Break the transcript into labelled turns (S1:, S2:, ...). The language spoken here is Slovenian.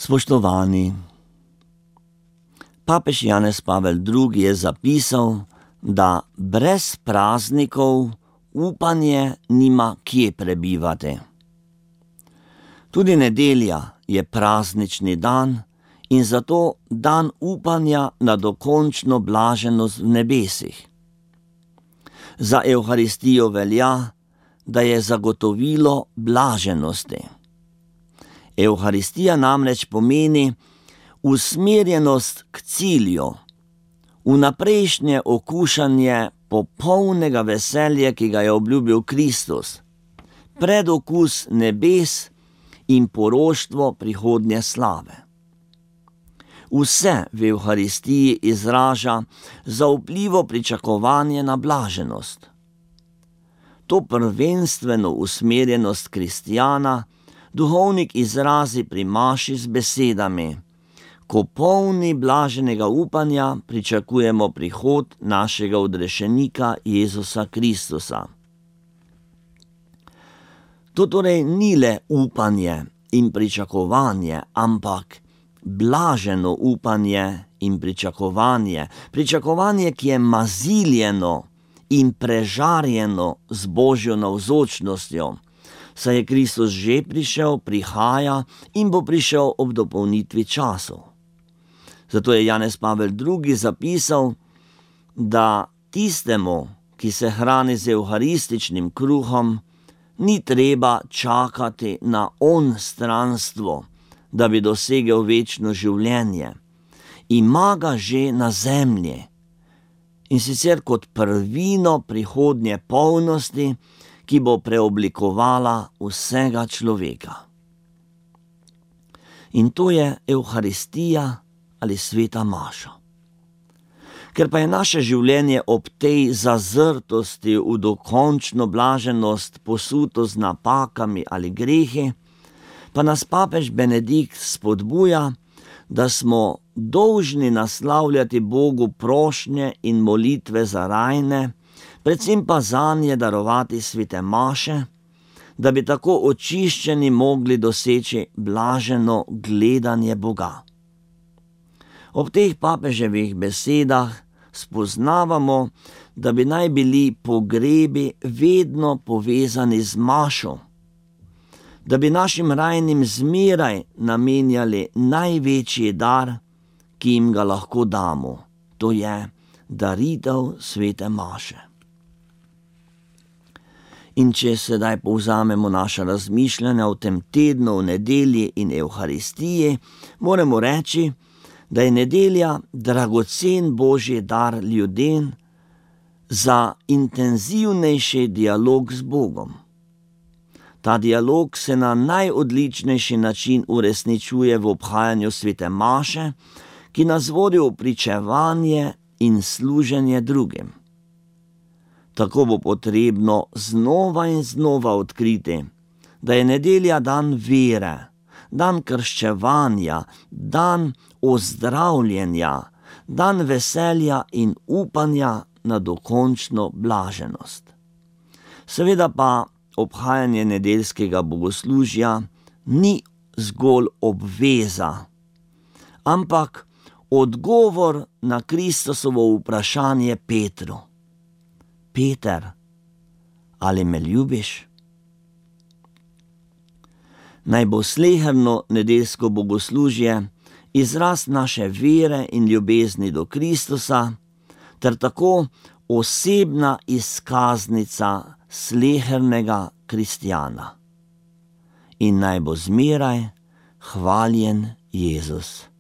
S1: Spoštovani, papež Janez Pavel II. Je zapisal, da brez praznikov upanje nima kje prebivati. Tudi nedelja je praznični dan in zato dan upanja na dokončno blaženost v nebesih. Za Evharistijo velja, da je zagotovilo blaženosti. Evharistija namreč pomeni usmerjenost k cilju, vnaprejšnje okušanje popolnega veselja, ki ga je obljubil Kristus, predokus nebes in poroštvo prihodnje slave. Vse v Evharistiji izraža zaupljivo pričakovanje na blaženost. To prvenstveno usmerjenost kristjana duhovnik izrazi pri maši z besedami: ko polni blaženega upanja pričakujemo prihod našega odrešenika Jezusa Kristusa. To torej ni le upanje in pričakovanje, ampak blaženo upanje in pričakovanje, pričakovanje, ki je maziljeno in prežarjeno z Božjo navzočnostjo, saj je Kristus že prišel, prihaja in bo prišel ob dopolnitvi časov. Zato je Janez Pavel II. Zapisal, da tistemu, ki se hrani z evharističnim kruhom, ni treba čakati na onstranstvo, da bi dosegel večno življenje. Ima ga že na zemlji, in sicer kot prvino prihodnje polnosti, ki bo preoblikovala vsega človeka. In to je Evharistija ali sveta maša. Ker pa je naše življenje ob tej zazrtosti v dokončno blaženost posuto z napakami ali grehi, pa nas papež Benedikt spodbuja, da smo dolžni naslavljati Bogu prošnje in molitve za rajne, predvsem pa zanje darovati svete maše, da bi tako očiščeni mogli doseči blaženo gledanje Boga. Ob teh papeževih besedah spoznavamo, da bi naj bili pogrebi vedno povezani z mašo, da bi našim rajnim zmeraj namenjali največji dar, ki jim ga lahko damo, to je daritev svete maše. In če sedaj povzamemo naša razmišljanja o tem tednu v nedelji in Evharistiji, moramo reči, da je nedelja dragocen Božji dar ljudem za intenzivnejši dialog z Bogom. Ta dialog se na najodličnejši način uresničuje v obhajanju svete maše, ki nas vodi v pričevanje in služenje drugim. Tako bo potrebno znova in znova odkriti, da je nedelja dan vere, dan krščevanja, dan ozdravljenja, dan veselja in upanja na dokončno blaženost. Seveda pa obhajanje nedeljskega bogoslužja ni zgolj obveza, ampak odgovor na Kristusovo vprašanje Petru: Peter, ali me ljubiš? Naj bo sleherno nedeljsko bogoslužje izraz naše vere in ljubezni do Kristusa, ter tako osebna izkaznica slehernega kristjana. In naj bo zmeraj hvaljen Jezus.